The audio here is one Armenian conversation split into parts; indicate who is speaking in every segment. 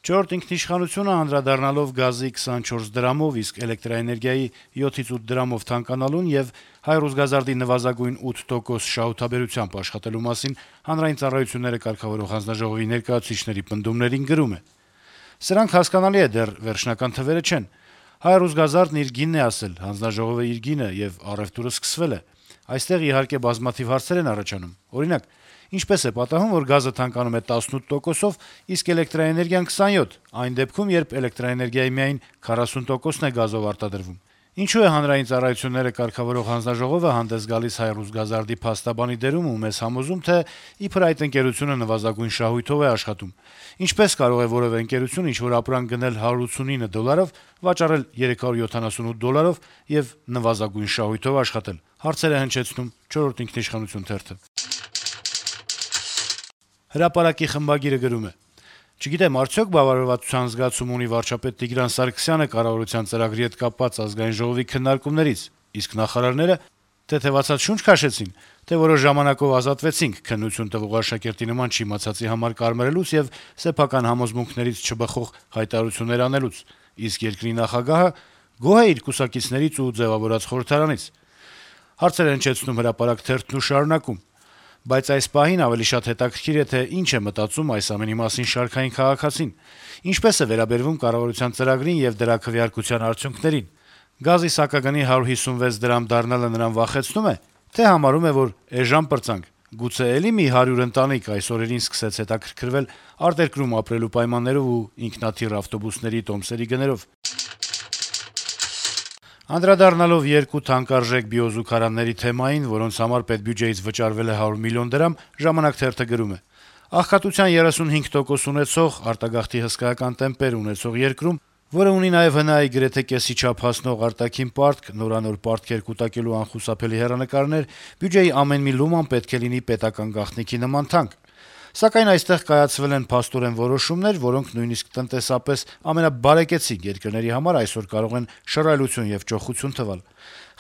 Speaker 1: «Չորրորդ ինքնիշխանությունը» անդրադառնալով գազի 24 դրամով, իսկ էլեկտրաէներգիայի 7-ից 8 դրամով թանկանալուն եւ հայ-ռուսգազարդի նվազագույն 8% շահութաբերությամբ աշխատելու մասին Հանրային ծառայությունները կարգավորող հանձնաժողովի ներկայացուցիչների պնդումներին գրում է. - «Սրանք հասկանալի է, դեռ վերջնական թվերը չեն: Հայ-ռուսգազարդն իր գինն է ասել, հանձնաժողովը իր գինը, եւ առեւտուրը սկսվել է: Այստեղ, իհարկե, բազմաթիվ հարցեր են առաջանում: Օրինակ, ինչպե՞ս է պատահում, որ գազը թանկանում է 18%-ով, իսկ էլեկտրաէներգիան 27%, այն դեպքում, երբ էլեկտրաէներգիայի միայն 40%-ն է գազով արտադրվում: Ինչու է Հանրային ծառայությունները կարգավորող հանձնաժողովը հանդես գալիս հայ-ռուսգազարդի փաստաբանի դերում ու մեզ համոզում, թե իբր այդ ընկերությունը նվազագույն շահույթով է աշխատում: Ինչպե՞ս կարող է որեւէ ընկերություն ինչ-որ ապրանք գնել $189, վաճառել $378 եւ նվազագույն շահույթով աշխատել»: «Հրապարակ»-ի խմբագիրը գրում է. - «Չգիտեմ, արդյոք բավարարվածության զգացում ունի վարչապետ Տիգրան Սարգսյանը կառավարության ծրագրի հետ կապված Ազգային ժողովի քննարկումներից, իսկ նախարարները թեթեւացած շունչ քաշեցին, թե որոշ ժամանակով ազատվեցինք քննություն տվող աշակերտի նման չիմացածի համար կարմրելուց եւ սեփական համոզմունքներից չբխող հայտարարություններ անելուց, իսկ երկրի նախագահը գոհ է իր կուսակիցներից ու ձեւավորած խորհրդարանից»: Հարցեր է հնչեցնում «Հրապարակ» թերթն ու շարունակում. - «Բայց այս պահին ավելի շատ հետաքրքիր է, թե ինչ է մտածում այս ամենի մասին շարքային քաղաքացին: Ինչպե՞ս է վերաբերվում կառավարության ծրագրին եւ դրա քվեարկության արդյունքներին: Գազի սակագնի 156 դրամ դառնալը նրան վախեցնո՞ւմ է, թե համարում է, որ էժան պրծանք: Գուցե էլի մի 100 ընտանիք այս օրերին սկսեց հետաքրքրվել արտերկրում ապրելու պայմաններով ու ինքնաթիռ ավտոբուսների տոմսերի գներով»: Անդրադառնալով երկու թանկարժեք բիոզուգարանների թեմային, որոնց համար պետբյուջեից վճարվել է 100 միլիոն դրամ, «Ժամանակ» թերթը գրում է. - «Աղքատության 35% ունեցող, արտագաղթի հսկայական տեմպեր ունեցող երկրում, որը ունի նաեւ ՀՆԱ-ի գրեթե կեսի չափ հասնող արտաքին պարտք, նորանոր պարտքեր կուտակելու անխուսափելի հեռանկարներ, բյուջեի ամեն մի լուման պետք է լինի պետական գաղտնիքի նման թանկ: Սակայն այստեղ կայացվել են փաստորեն որոշումներ, որոնք նույնիսկ տնտեսապես ամենաբարեկեցիկ երկրների համար այսօր կարող են շռայլություն եւ ճոխություն թվալ: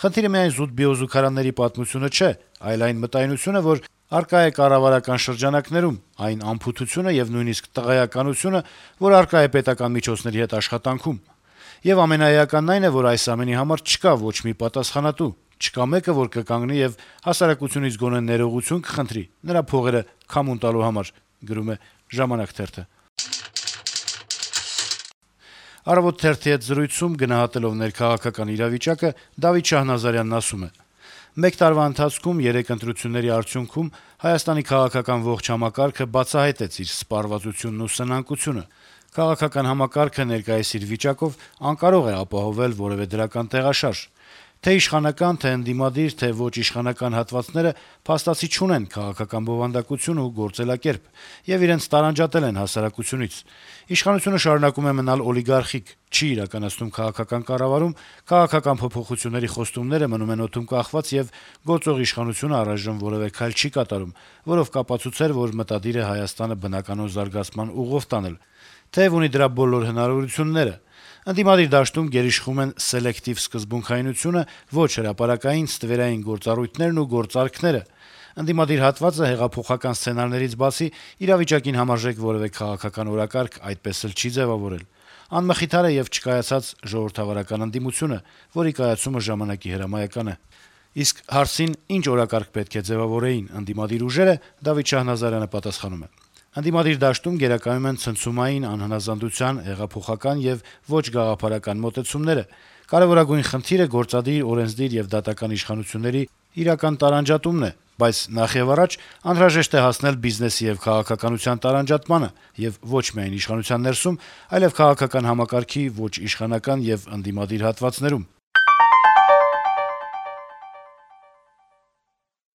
Speaker 1: Խնդիրը միայն զուտ բիոզուգարանների պատմությունը չէ, այլ այն մտայնությունը, որ առկա է կառավարական շրջանակներում, այն անփութությունը եւ նույնիսկ տղայականությունը, որ առկա է պետական միջոցների հետ աշխատանքում: Եվ ամենաէականն այն է, որ այս ամենի համար չկա ոչ մի պատասխանատու, չկա մեկը, որ կկանգնի եւ հասարակությունից գոնե ներողություն կխնդրի նրա փողերը քամուն տալու համար»: «Առավոտ» թերթի հետ զրույցում, գնահատելով ներքաղաքական իրավիճակը, Դավիթ Շահնազարյանն ասում է. - «Մեկ տարվա ընթացքում 3 ընտրությունների արդյունքում Հայաստանի քաղաքական ողջ համակարգը բացահայտեց իր սպառվածությունն ու սնանկությունը: Քաղաքական համակարգը ներկայիս իր վիճակով անկարող է ապահովել որեւէ դրական տեղաշարժ: Թե' իշխանական, թե' ընդդիմադիր, թե' ոչ իշխանական հատվածները փաստացի չունեն քաղաքական բովանդակություն ու գործելակերպ եւ իրենց տարանջատել են հասարակությունից: Իշխանությունը շարունակում է մնալ օլիգարխիկ, չի իրականացնում քաղաքական կառավարում, քաղաքական փոփոխությունների խոստումները մնում են օդում կախված եւ գործող իշխանությունը առայժմ որեւէ քայլ չի կատարում, որով կապացուցեր, որ մտադիր է Հայաստանը բնականոն զարգացման ուղով տանել, թեեւ ունի դրա բոլոր հնարավորությունները: Ընդդիմադիր դաշտում գերիշխում են սելեկտիվ սկզբունքայնությունը, ոչ հրապարակային, ստվերային գործառույթներն ու գործարքները: Ընդդիմադիր հատվածը հեղափոխական սցենարներից բացի իրավիճակին համարժեք որեւէ քաղաքական օրակարգ այդպես էլ չի ձեւավորել: Անմխիթար է եւ չկայացած ժողովրդավարական ընդդիմությունը, որի կայացումը ժամանակի հրամայական է»: Իսկ հարցին, ինչ օրակարգ պետք է ձեւավորեին ընդդիմադիր ուժերը, Դավիթ Շահնազարյանը պատասխանում է. - «Ընդդիմադիր դաշտում գերակայում են ցնցումային, անհնազանդության, հեղափոխական եւ ոչ գաղափարական մոտեցումները: Կարեւորագույն խնդիրը գործադիր, օրենսդիր եւ դատական իշխանությունների իրական տարանջատումն է: Բայց նախեւառաջ անհրաժեշտ է հասնել բիզնեսի եւ քաղաքականության տարանջատմանը եւ ոչ միայն իշխանության ներսում, այլեւ քաղաքական համակարգի ոչ իշխանական եւ ընդդիմադիր հատվածներում»: